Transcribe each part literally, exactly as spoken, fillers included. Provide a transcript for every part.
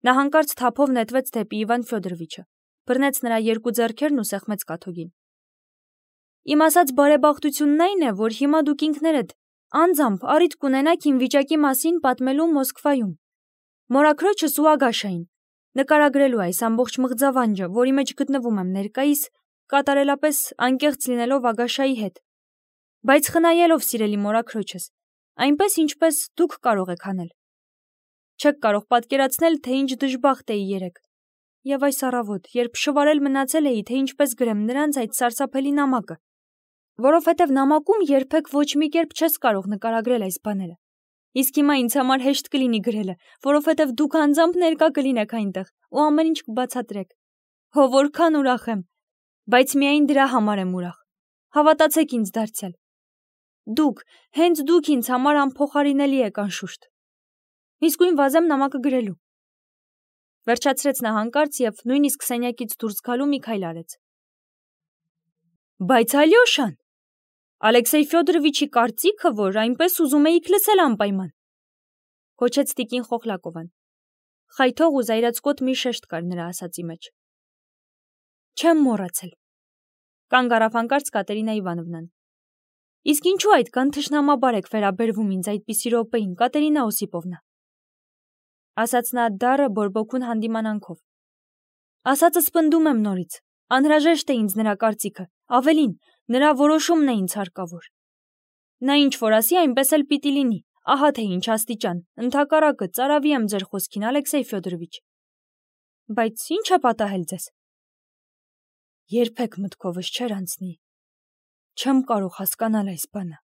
Նա հանկարծ թափով նետվեց դեպի Իվան Ֆյոդորովիչը, բռնեց նրա երկու ձեռքերն ու սեղմեց կաթոգին։ Իմ ասած բարեբախտությունն այն է, որ հիմա դուք ինքներդ անձամբ առիթ կունենաք իմ վիճակի մասին պատմելու Մոսկվայում, մորաքրոջս ու Ագաշային, նկարագրելու այս ամբողջ մղձավանջը, որի մեջ գտնվում եմ ներկայիս, կատարելապես անկեղծ լինելով Ագաշայի հետ, բայց խնայելով սիրելի մորաքրոջս, այնպես ինչպես դուք կարող եք անել։ Չեք կարող պատկերացնել, թե ինչ դժբախտ էի երեկ, եւ այս առավոտ, երբ շվարել մնացել էի, թե ինչպես գրեմ նրանց այդ սարսափելի նամակը, որովհետև նամակում երբեք ոչ մի կերպ չես կարող նկարագրել այս բաները։ Իսկ հիմա ինձ համար հեշտ կլինի գրելը, որովհետև դուք անձամբ ներկա կլինեք այնտեղ ու ամեն ինչ կբացատրեք։ Հո որքան ուրախ եմ, բայց միայն դրա համար եմ ուրախ։ Հավատացեք ինձ դարձյալ։ Դուք, հենց դուք ինձ համար անփոխարինելի եք անշուշտ։ Իսկույն վազեմ նամակը գրելու։ Վերջացրեց նա հանկարծ եւ նույնիսկ սենյակից դուրս գալու մի քայլ արեց։ Բայց Ալյոշան, Ալեքսեյ Ֆյոդորովիչի կարծիքը, որ այնպես ուզում էիք լսել անպայման, կոչեց տիկին Խոխլակովան։ Խայթող ու զայրացկոտ մի շեշտ կար նրա ասածի մեջ։ Չեմ մոռացել։ Կանգ առավ հանկարծ Կատերինա Իվանովնան։ Իսկ ինչու այդքան թշնամաբար եք վերաբերվում ինձ այդպիսի րոպեին, Կատերինա Օսիպովնա, ասաց նա դառը բորբոքուն հանդիմանանքով։ Ասածս պնդում եմ նորից, անհրաժեշտ է ինձ նրա կարծիքը, ավելին, նրա որոշումն է ինձ հարկավոր։ Նա ինչ որ ասի, այնպես էլ պիտի լինի, ահա թե ինչ աստիճան, ընդհակառակը ծարավի եմ ձեր խոսքին, Ալեքսեյ Ֆյոդորովիչ։ Բայց ինչ է պատահել ձեզ։ Երբեք մտքովս չէր անցնի։ Չեմ կարող հասկանալ այս բանը։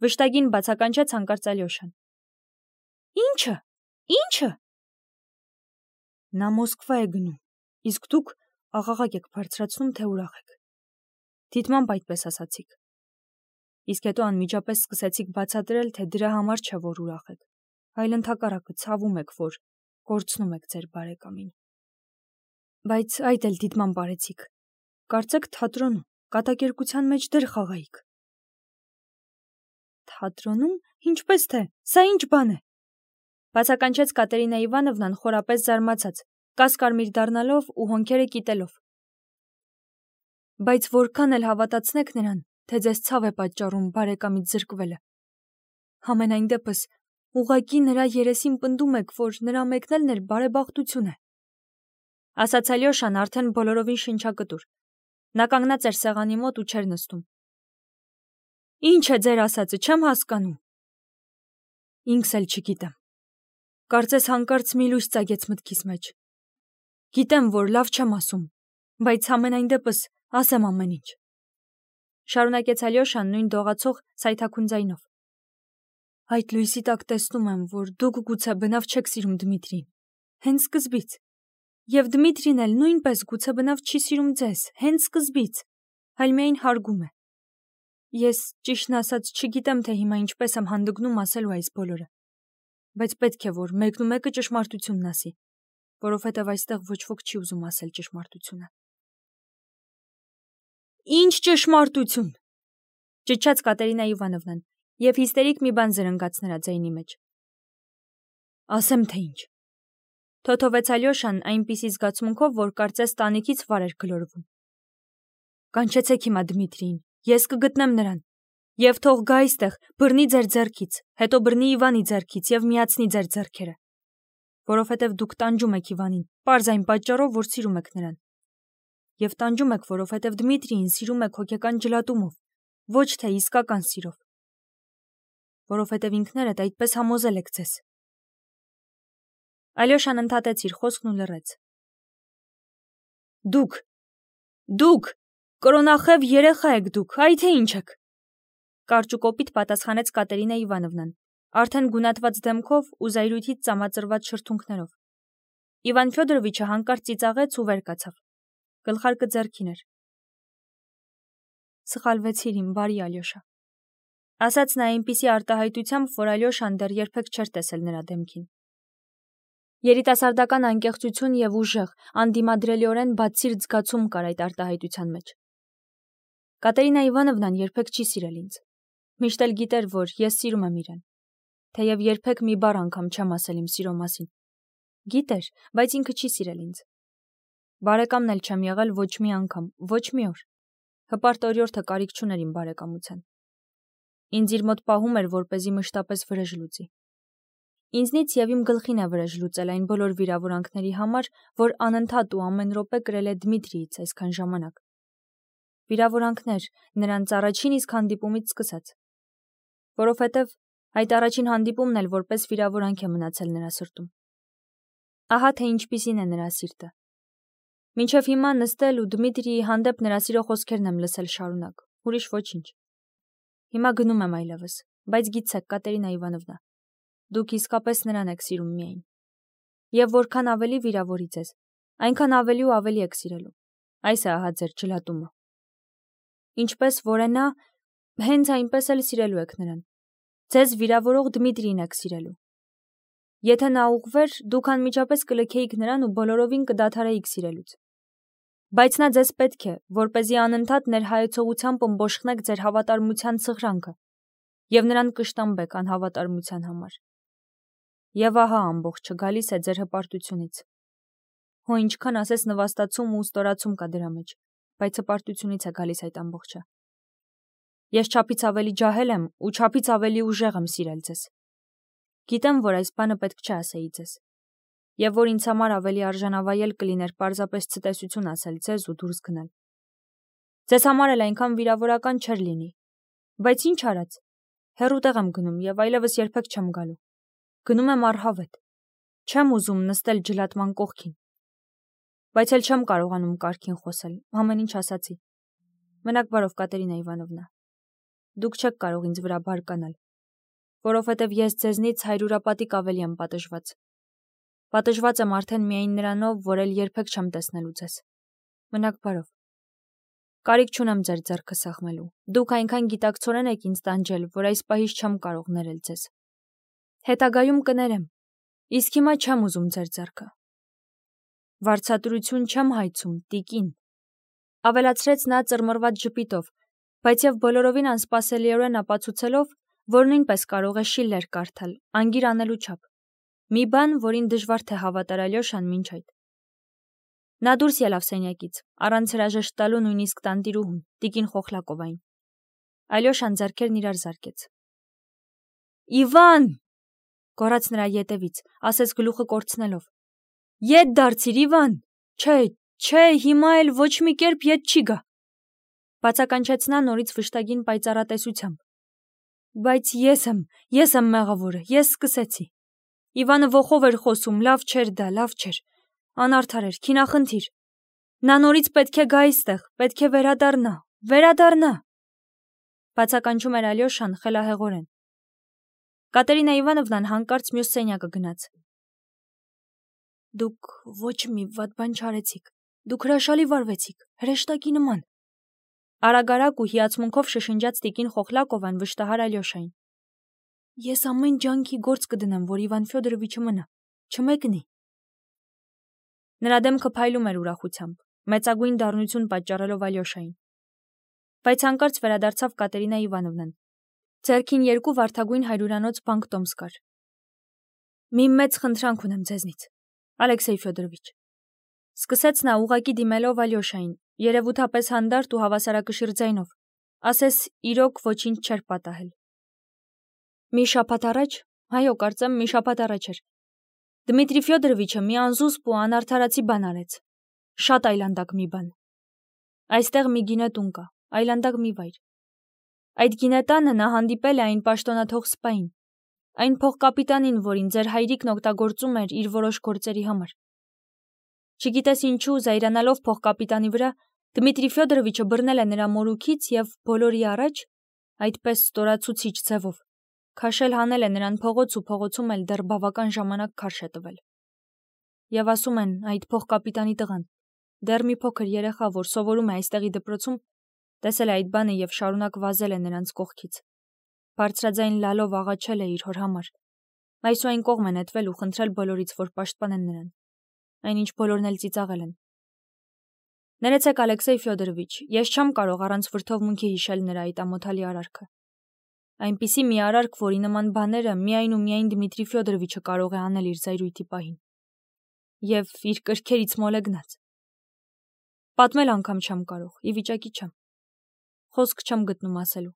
Վշտագին բացականչեց հանկարծ Ալյոշան։ Ինչը, ինչը։ Նա Մոսկվա է գնում, իսկ դուք աղաղակ եք բարձրացնում, թե ուրախ եք։ Դիտմամբ այդպես ասացիք։ Իսկ հետո անմիջապես սկսեցիք բացատրել, թե դրա համար չէ, որ ուրախ եք, այլ ընդհակառակը ցավում եք, որ կորցնում եք ձեր բարեկամին։ Բայց այդ էլ դիտմամբ արեցիք։ Կարծեք թատրոնում, կատակերգության մեջ դեր խաղայիք։ Թատրոնում, ինչպես թե, սա ինչ բան է։ Բացականչեց Կատերինա Իվանովնան խորապես զարմացած, կասկարմիր դառնալով ու հոնքերը կիտելով։ Բայց որքան էլ հավատացնեք նրան, թե ձեզ ցավ է պատճառում բարեկամից զրկվելը։ Համենայն դեպս, ուղղակի նրա երեսին պնդում եք, որ նրա մեկնելն էլ բարեբախտություն է։ Ասաց Ալյոշան արդեն բոլորովին շնչակտուր։ Նա կանգնած էր սեղանի մոտ ու չէր նստում։ Ինչ է ձեր ասածը, չեմ հասկանում։ Ինքս էլ չգիտեմ։ Կարծես հանկարծ մի լույս ծագեց մտքիս մեջ։ Գիտեմ, որ լավ չեմ ասում, բայց համենայն դեպս ասեմ ամեն ինչ։ Շարունակեց Ալյոշան նույն դողացող սայթաքուն ձայնով։ Այդ լույսի տակ տեսնում եմ, որ դուք գուցե բնավ չեք սիրում Դմիտրին, հենց սկզբից։ Եվ Դմիտրին էլ նույնպես գուցե բնավ չի սիրում ձեզ, հենց սկզբից, այլ միայն հարգում է։ Ես, ճիշտն ասած, չգիտեմ, թե հիմա ինչպես եմ հանդգնում ասելու այս բոլորը, բայց պետք է, որ մեկն ու մեկը ճշմարտությունն ասի, որովհետև այստեղ ոչ ոք չի ուզում ասել ճշմարտությունը։ Ինչ ճշմարտություն, ճչաց Կատերինա Իվանովնան, եւ հիստերիկ մի բան զրնգաց նրա ձայնի մեջ։ Ասեմ, թե ինչ։ Թոթովեց Ալյոշան այնպիսի զգացմունքով, որ կարծես տանիքից վար էր գլորվում։ Կանչեցեք հիմա Դմիտրիին, ես կգտնեմ նրան, եւ թող գա այստեղ, բռնի ձեր ձեռքից, հետո բռնի Իվանի ձեռքից եւ միացնի ձեր ձեռքերը, որովհետեւ դուք տանջում եք Իվանին, պարզ այն պատճառով, որ սիրում եք նրան։ Եվ տանջում եք, որովհետեւ Դմիտրիին սիրում եք հոգեկան ջլատումով, ոչ թե իսկական սիրով, որովհետեւ ինքներդ այդպես համոզել եք ձեզ։ Ալյոշան ընդհատեց իր խոսքն ու լռեց։ Դուք, դուք, կրոնախև երեխա եք դուք, այ թե ինչ եք։ Կարճ ու կոպիտ պատասխանեց Կատերինա Իվանովնան, արդեն գունատված դեմքով ու զայրույթից ծամածրված շրթունքներով։ Իվան Ֆյոդորովիչը հանկարծ ծիծաղեց ու վեր կացավ։ Գլխարկը ձեռքին էր։ Սխալվեցիր իմ բարի Ալյոշա, ասաց նա այնպիսի արտահայտությամբ, որ Ալյոշան դեռ երբեք չէր տեսել նրա դեմքին։ Երիտասարդական անկեղծություն եւ ուժեղ, անդիմադրելիորեն բացսիրտ զգացում կար այդ արտահայտության մեջ։ Կատերինա Իվանովնան երբեք չի սիրել ինձ։ Միշտ էլ գիտեր, որ ես սիրում եմ իրեն, թեև երբեք մի բառ անգամ չեմ ասել իմ սիրո մասին, Գիտեր, բայց ինքը չի սիրել ինձ։ Բարեկամն էլ չեմ եղել ոչ մի անգամ, ոչ մի օր։ Հպարտ օրիորդը կարիք չուներ իմ բարեկամության։ Ինձ իր մոտ պահում էր, որպեսզի մշտապես վրեժ լուծի։ Ինձնից եւ իմ գլխին է վրեժ լուծել այն բոլոր վիրավորանքների համար, որ անընդհատ ու ամեն րոպե կրել է Դմիտրիից այսքան ժամանակ։ Վիրավորանքներ նրանց առաջին իսկ հանդիպումից սկսած։ Որովհետև այդ առաջին հանդիպումն էլ որպես վիրավորանք է մնացել նրա սրտում։ Ահա թե ինչպիսին է նրա սիրտը։ Մինչև հիմա նստել ու Դմիտրիի հանդեպ նրա սիրո խոսքերն եմ լսել շարունակ, ուրիշ ոչինչ։ Հիմա գնում եմ այլևս, բայց գիտեք, Կատերինա Իվանովնա, դուք իսկապես նրան եք սիրում միայն։ Եվ որքան ավելի վիրավորի ձեզ, այնքան ավելի ու ավելի եք սիրելու։ Այս է ահա ձեր ջլատումը։ Ինչպես որ է նա, հենց այնպես էլ սիրելու եք նրան։ Ձեզ վիրավորող Դմիտրիին եք սիրելու։ Եթե նա ուղղվեր, դուք անմիջապես կլքեիք նրան ու բոլորովին կդադարեիք սիրելուց։ Բայց նա ձեզ պետք է, որպեսզի անընդհատ ներհայեցողությամբ ըմբոշխնեք ձեր հավատարմության սղրանքը եւ նրան կշտամբեք անհավատարմության համար։ Եվ ահա ամբողջը գալիս է ձեր հպարտությունից։ Հո ինչքան ասես նվաստացում ու ստորացում կա դրա մեջ, բայց հպարտությունից է գալիս այդ ամբողջը։ Ես չափից ավելի ջահել եմ ու չափից ավելի ուժեղ եմ սիրել ձեզ։ Գիտեմ, որ այս բանը պետք չէ ասեի ձեզ, եւ որ ինձ համար ավելի արժանավայել կլիներ պարզապես ցտեսություն ասել ձեզ ու դուրս գնալ։ Ձեզ համար էլ այնքան վիրավորական չէր լինի, բայց ինչ արած, հեռու տեղ եմ գնում եւ այլևս երբեք չեմ գալու։ Գնում եմ առհավետ։ Չեմ ուզում նստել ջլատման կողքին։ Բայց էլ չեմ կարողանում կարգին խոսել, ամեն ինչ ասացի։ Մնաք բարով, Կատերինա Իվանովնա։ Դուք չեք կարող ինձ վրա բարկանալ, որովհետև ես ձեզնից հայրուրապատիկ ավելի եմ պատժված։ Պատժված եմ արդեն միայն նրանով, որ էլ երբեք չեմ տեսնելու ձեզ։ Մնաք բարով։ Կարիք չունեմ ձեր ձեռքը սեղմելու։ Դուք այնքան գիտակցորեն եք ինձ տանջել, որ այս պահից չեմ կարող ներել ձեզ։ Հետագայում կներեմ, իսկ հիմա չեմ ուզում ձեր ձեռքը։ Վարձատրություն չեմ հայցում, տիկին, ավելացրեց նա ծռմռված ժպիտով, բայց եւ բոլորովին անսպասելիորեն ապացուցելով, որ նույնպես կարող է Շիլլեր կարդալ, անգիր անելու չափ։ Մի բան, որին դժվար թե հավատար Ալյոշան մինչ այդ։ Նա դուրս ելավ սենյակից, առանց հրաժեշտ տալու նույնիսկ տանտիրուհուն, տիկին Խոխլակովային։ Ալյոշան ձեռքերն իրար զարկեց։ Իվան, գոռաց նրա ետևից, ասես գլուխը կորցնելով։ Ետ դարձիր, Իվան։ Չէ, չէ, հիմա էլ ոչ մի կերպ ետ չի գա։ Բացականչեց նա նորից վշտագին պայծառատեսությամբ։ Բայց ես եմ, ես եմ մեղավորը, ես սկսեցի։ Իվանը ոխով էր խոսում, լավ չէր դա, լավ չէր։ Անարդար էր, քինախնդիր։ Նա նորից պետք է գա այստեղ, պետք է վերադառնա, վերադառնա։ Բացականչում էր Ալյոշան խելահեղորեն։ Կատերինա Իվանովնան հանկարծ մյուս սենյակը գնաց։ Դուք ոչ մի վատ բան չարեցիք, դուք հրաշալի վարվեցիք, հրեշտակի նման։ Արագարակ ու հիացմունքով շշնջաց տիկին Խոխլակովան վշտահար Ալյոշային։ Ես ամեն ջանքի գործ կդնեմ, որ Իվան Ֆյոդորովիչը մնա, չմեկնի։ Նրա դեմքը փայլում էր ուրախությամբ, մեծագույն դառնություն պատճառելով Ալյոշային։ Բայց հանկարծ վերադարձավ Կատերինա Իվանովնան։ Ձեռքին երկու վարդագույն հայրուրանոց բանկտոմս կար։ Մի մեծ խնդրանք ունեմ ձեզնից, Ալեքսեյ Ֆյոդորովիչ, սկսեց նա ուղակի դիմելով Ալյոշային, երևութապես հանդարտ ու հավասարակշիռ ձայնով, ասես իրոք ոչինչ չէր պատահել։ Մի շաբաթ առաջ, այո, կարծեմ մի շաբաթ առաջ էր, Դմիտրի Ֆյոդորովիչը մի անզուսպ ու անարդարացի բան արեց, շատ այլանդակ մի բան։ Այստեղ մի գինետուն կա, այլանդակ մի վայր։ Այդ գինետանը նա հանդիպել է այն պաշտոնաթող սպային, այն փողկապիտանին, որին ձեր հայրիկն օգտագործում էր իր որոշ գործերի համար։ Չգիտես ինչու, զայրանալով փողկապիտանի վրա, Դմիտրի Ֆյոդորովիչը բռնել է նրա մորուքից եւ բոլորի առաջ, այդպես ստորացուցիչ ձևով, քաշել հանել է նրան փողոց ու փողոցում էլ դեռ բավական ժամանակ քարշ է տվել։ Եվ ասում են, այդ փողկապիտանի տղան, դեռ մի փոքր երեխա, որ սովորում է այստեղի դպրոցում, տեսել է այդ բանը եւ շարունակ վազել է նրանց կողքից։ Բարձրաձայն լալով աղաչել է իր հոր համար։ Այսուայն կողմ է նետվել ու խնդրել բոլորից, որ պաշտպանեն նրան։ Այնինչ բոլորն էլ ծիծաղել են։ Ներեցեք, Ալեքսեյ Ֆյոդորովիչ, ես չեմ կարող առանց վրդովմունքի հիշել նրա այդ ամոթալի արարքը։ Այնպիսի մի արարք, որի նման բաները միայն ու միայն Դմիտրի Ֆյոդորովիչը կարող է անել իր զայրույթի պահին։ և իր կրքերից մոլեգնած։ Պատմել անգամ չեմ կարող, ի վիճակի չեմ։ Խոսք չեմ գտնում ասելու։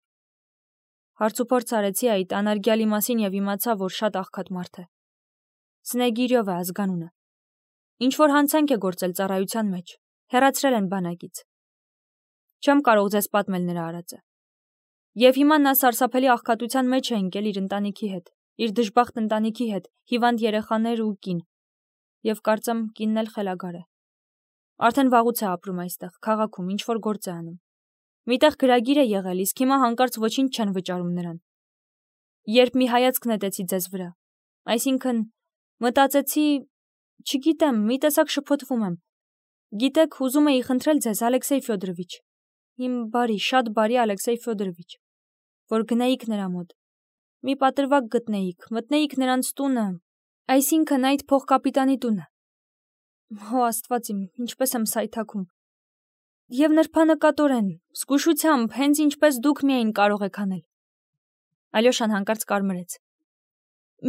Հարցուփորձ արեցի այդ անարգյալի մասին և իմացա, որ շատ աղքատ մարդ է։ Սնեգիրյով է ազգանունը։ Ինչ-որ հանցանք է գործել ծառայության մեջ, հեռացրել են բանակից։ Չեմ կարող ձեզ պատմել նրա արածը։ Եվ հիմա նա սարսափելի աղքատության մեջ է ընկել իր ընտանիքի հետ, իր դժբախտ ընտանիքի հետ, հիվանդ երեխաներ ու կին։ Եվ կարծեմ կինն էլ խելագար է։ Արդեն վաղուց է ապրում այստեղ, քաղաքում, ինչ-որ գործ է անում։ Միտեղ գրագիր է եղել, իսկ հիմա հանկարծ ոչինչ չեն վճարում նրան։ Երբ մի հայացք նետեցի ձեզ վրա, այսինքն մտածեցի, չգիտեմ, մի տեսակ շփոթվում եմ։ Գիտեք, ուզում էի խնդրել ձեզ, Ալեքսեյ Ֆյոդորովիչ, իմ բարի, շատ բարի Ալեքսեյ Ֆյոդորովիչ, որ գնայիք նրա մոտ, մի պատրվակ գտնեիք, մտնեիք նրանց տունը, այսինքն այդ փողկապիտանի տունը։ Հո Աստված իմ, ինչպես եմ սայթաքում։ Եվ նրբանկատորեն, զգուշությամբ, հենց ինչպես դուք միայն կարող եք անել։ Ալյոշան հանկարծ կարմրեց։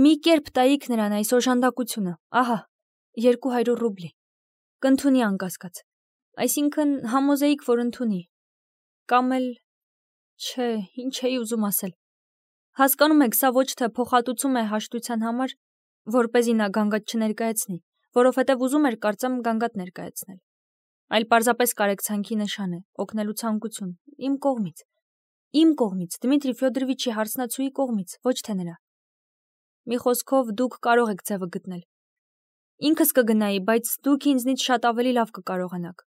Մի կերպ տայիք նրան այս օժանդակությունը, ահա, երկու հարյուր ռուբլի։ Կընդունի անկասկած։ Այսինքն համոզեիք, որ ընդունի։ Կամ էլ, չէ, ինչ էի ուզում ասել։ Հասկանում եք, սա ոչ թե փոխհատուցում է հաշտության համար, որպեսզի նա գանգատ չներկայացնի, որովհետև ուզում էր կարծեմ գանգատ ներկայացնել, այլ պարզապես կարեկցանքի նշան է, օգնելու ցանկություն, իմ կողմից, իմ կողմից, Դմիտրի Ֆյոդորովիչի հարսնացուի կողմից, ոչ թե նրա։ Մի խոսքով դուք կարող եք ձևը գտնել։ Ինքս կգնայի, բայց դուք ինձնից շատ ավելի լավ կկարողանաք։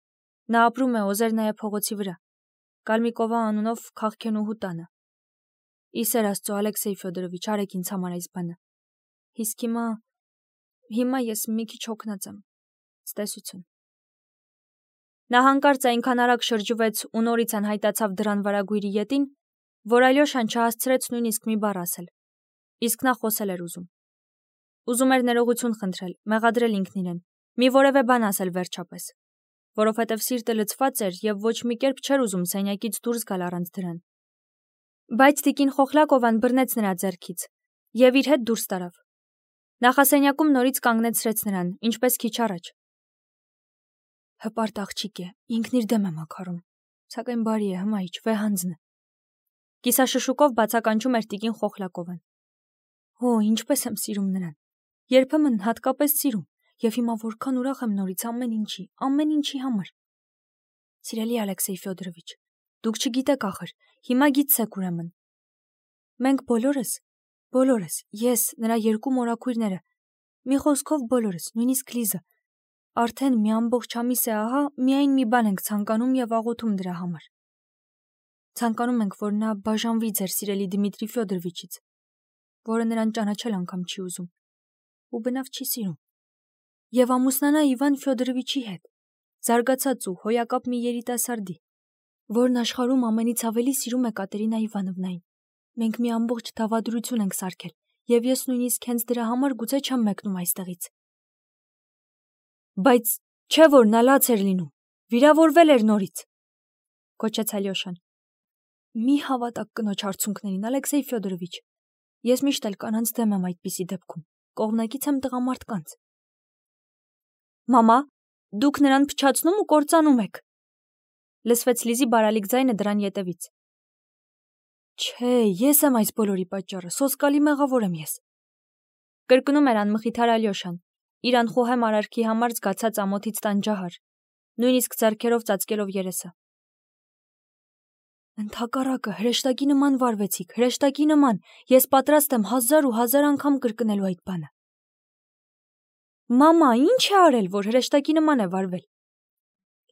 Նա ապրում է Օզերնայա փողոցի վրա, Կալմիկովա անունով քաղաքենուհու տանը։ Իսեր Աստծո, Ալեքսեյ Ֆյոդորովիչ, արեք ինձ համար այս բանը։ Իսկ հիմա, հիմա ես մի քիչ հոգնած եմ։ Ցտեսություն։ Նա հանկարծ այնքան արագ շրջվեց ու նորից անհայտացավ դռան վարագույրի ետին, որ Ալյոշան չհասցրեց նույնիսկ մի բառ ասել։ Իսկ նա խոսել էր ուզում։ Ուզում էր ներողություն խնդրել, մեղադրել ինքն իրեն, մի որևէ բան ասել վերջապես, որովհետև սիրտը լցված էր և ոչ մի կերպ չէր ուզում սենյակից դուրս գալ առանց դրան։ Բայց տիկին Խոխլակովան բռնեց նրա ձեռքից և իր հետ դուրս տարավ։ Նախասենյակում նորից կանգնեցրեց նրան, ինչպես քիչ առաջ։ Հպարտ աղջիկ է, ինքն իր դեմ է մաքարում, սակայն բարի է, հմայիչ, վեհանձն է։ Կիսաշշուկով բացականչում էր տիկին Խոխլակովան։ Օ, ինչպես եմ սիրում նրան։ Երբեմն հատկապես սիրում, և հիմա որքան ուրախ եմ նորից ամեն ինչի, ամեն ինչի համար։ Սիրելի Ալեքսեյ Ֆյոդորովիչ, դուք չգիտեք ախր, հիմա գիտեք ուրեմն։ Մենք բոլորս, բոլորս, ես, նրա երկու մորաքույրները, մի խոսքով բոլորս, նույնիսկ Լիզը, արդեն մի ամբողջ ամիս է ահա, միայն մի բան ենք ցանկանում և աղոթում դրա համար։ Ցանկանում ենք, որ նա բաժանվի ձեր սիրելի Դմիտրի Ֆյոդորովիչից, որը նրան ճանաչել անգամ չի ուզում, ու բնավ չի սիրում, և ամուսնանա Իվան Ֆյոդորովիչի հետ, զարգացած ու հոյակապ մի երիտասարդի, որն աշխարհում ամենից ավելի սիրում է Կատերինա Իվանովնային։ Մենք մի ամբողջ դավադրություն ենք սարքել, և ես նույնիսկ հենց դրա համար գուցե չեմ մեկնում այստեղից։ Բայց չէ որ նա լաց էր լինում, վիրավորվել էր նորից, գոչեց Ալյոշան։ Մի հավատաք կնոջ արցունքներին, Ալեքսեյ Ֆյոդորովիչ, ես միշտ էլ կանանց դեմ եմ այդպիսի դեպքում, կողմնակից եմ տղամարդկանց։ Մամա, դուք նրան փչացնում ու կործանում եք, լսվեց Լիզի բարալիկ ձայնը դրան ետևից։ Չէ, ես եմ այս բոլորի պատճառը, սոսկալի մեղավոր եմ ես, կրկնում էր անմխիթար Ալյոշան, իր անխոհեմ արարքի համար զգացած ամոթից տանջահար, նույնիսկ ձեռքերով ծածկելով երեսը։ Ընդհակառակը, հրեշտակի նման վարվեցիք, հրեշտակի նման, ես պատրաստ եմ հազար ու հազար անգամ կրկնելու այդ բանը։ Մամա, ինչ է արել, որ հրեշտակի նման է վարվել,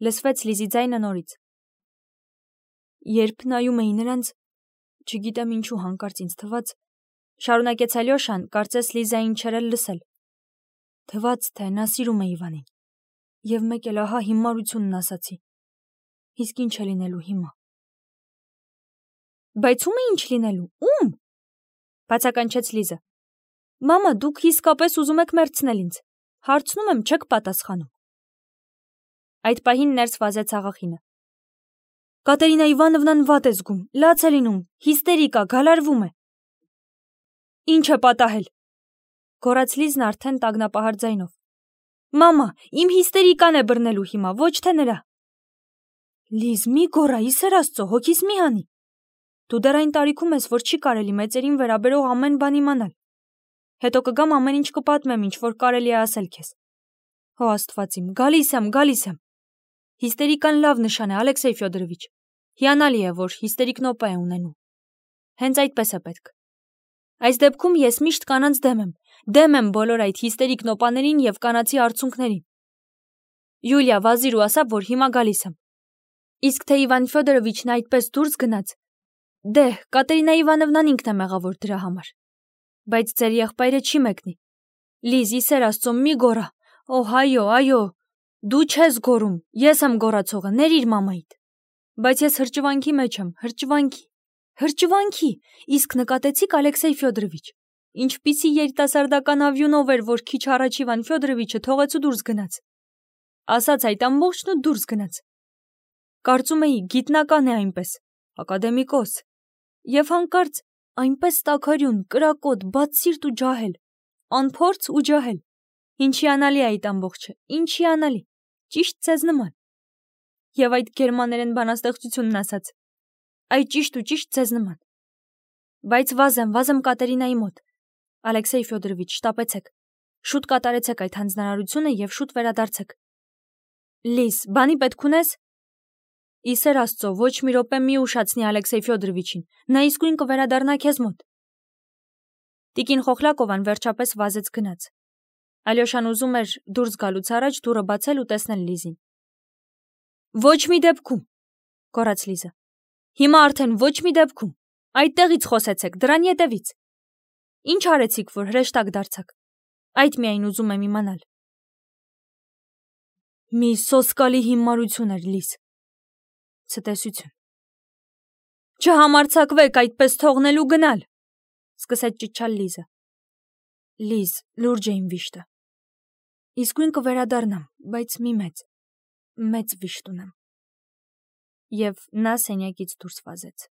լսվեց Լիզի ձայնը նորից։ Երբ նայում էի նրանց, չգիտեմ ինչու հանկարծ ինձ թվաց, շարունակեց Ալյոշան, կարծես Լիզային չէր էլ լսել։ Թվաց, թե նա սիրում է Իվանին, և մեկ էլ ահա հիմարությունն ասացի։ Իսկ ինչ է լինելու հիմա։ Բայց ում է ինչ լինելու, ում, բացականչեց Լիզը։ Մամա, դուք իսկապես ուզում եք մեռցնել ինձ, հարցնում եմ, չեք պատասխանում։ Այդ պահին ներս վազեց աղախինը։ Կատերինա Իվանովնան վատ է զգում, լաց է լինում, հիստերիկա, գալարվում է։ Ինչ է պատահել, գոռաց Լիզն արդեն տագնապահար ձայնով։ Մամա, իմ հիստերիկան է բռնելու հիմա, ոչ թե նրա։ Լիզ, մի գոռա, ի սեր Աստծո, հոգիս մի հանի։ Դու դեռ այն տարիքում ես, որ չի կարելի մեծերին վերաբերող ամեն բան իմանալ։ Հետո կգամ ամեն ինչ կպատմեմ, ինչ որ կարելի է ասել քեզ։ Հո Աստված իմ, գալիս եմ, գալիս եմ։ Հիստերիկան լավ նշան է, Ալեքսեյ Ֆյոդորովիչ։ Հիանալի է, որ հիստերիկ նոպա է ունենում։ Հենց այդպես է պետք։ Այս դեպքում ես միշտ կանանց դեմ եմ, դեմ եմ բոլոր այդ հիստերիկ նոպաներին եւ կանացի արցունքներին։ Յուլիա, վազիր ու ասա, որ հիմա գալիս եմ։ Իսկ թե Իվան Ֆյոդորովիչն այդպես դուրս գնաց, դե, Կատերինա Իվանովնան ինքն է մեղավոր դրա համար։ Բայց ձեր եղբայրը չի մեկնի։ Լիզ, ի սեր Աստծո, մի գոռա։ Օհ, այո, այո, դու չես գոռում, ես եմ գոռացողը, ներիր մամայիդ։ Բայց ես հրճվանքի մեջ եմ, հրճվանքի, հրճվանքի, իսկ նկատեցիք Ալեքսեյ Ֆյոդորովիչ, ինչպիսի երիտասարդական ավյունով էր, որ քիչ առաջ Իվան Ֆյոդորովիչը թողեց ու դուրս գնաց։ Ասաց այդ ամբողջն ու դուրս գնաց։ Կարծում էի գիտնական է այնպես, ակադեմիկոս, եւ հանկարծ այնպես տաքարյուն, կրակոտ, բացսիրտ ու ջահել, անփորձ ու ջահել։ Ինչ հիանալի է այդ ամբողջը, ինչ հիանալի, ճիշտ ձեզ նման։ Եվ այդ գերմաներեն բանաստեղծությունն ասաց, այ ճիշտ ու ճիշտ ձեզ նման։ Բայց վազեմ, վազեմ Կատերինայի մոտ։ Ալեքսեյ Ֆյոդորովիչ, շտապեցեք։ Շուտ կատարեցեք այդ հանձնարարությունը եւ շուտ վերադարձեք։ Լիզ, բանի պետք ունես։ Ի սեր Աստծո, ոչ մի րոպե մի ուշացնի Ալեքսեյ Ֆյոդորովիչին, նա իսկույն կվերադառնա քեզ մոտ։ Տիկին Խոխլակովան վերջապես վազեց գնաց։ Ալյոշան ուզում էր դուրս գալուց առաջ դուռը բացել ու տեսնել Լիզին։ Ոչ մի դեպքում, գոռաց Լիզը։ Հիմա արդեն ոչ մի դեպքում։ Այդտեղից խոսեցեք, դրան ետևից։ Ինչ արեցիք, որ հրեշտակ դարձաք։ Այդ միայն ուզում եմ իմանալ։ Մի սոսկալի հիմարություն էր, Լիզ։ Ցտեսություն։ Չհամարձակվեք այդպես թողնել ու գնալ, սկսեց ճիչալ Լիզը։ Լիզ, լուրջ է իմ վիշտը։ Իսկույն կվերադառնամ, բայց մի մեծ, մեծ վիշտ ունեմ։ Եվ նա սենյակից դուրս վազեց։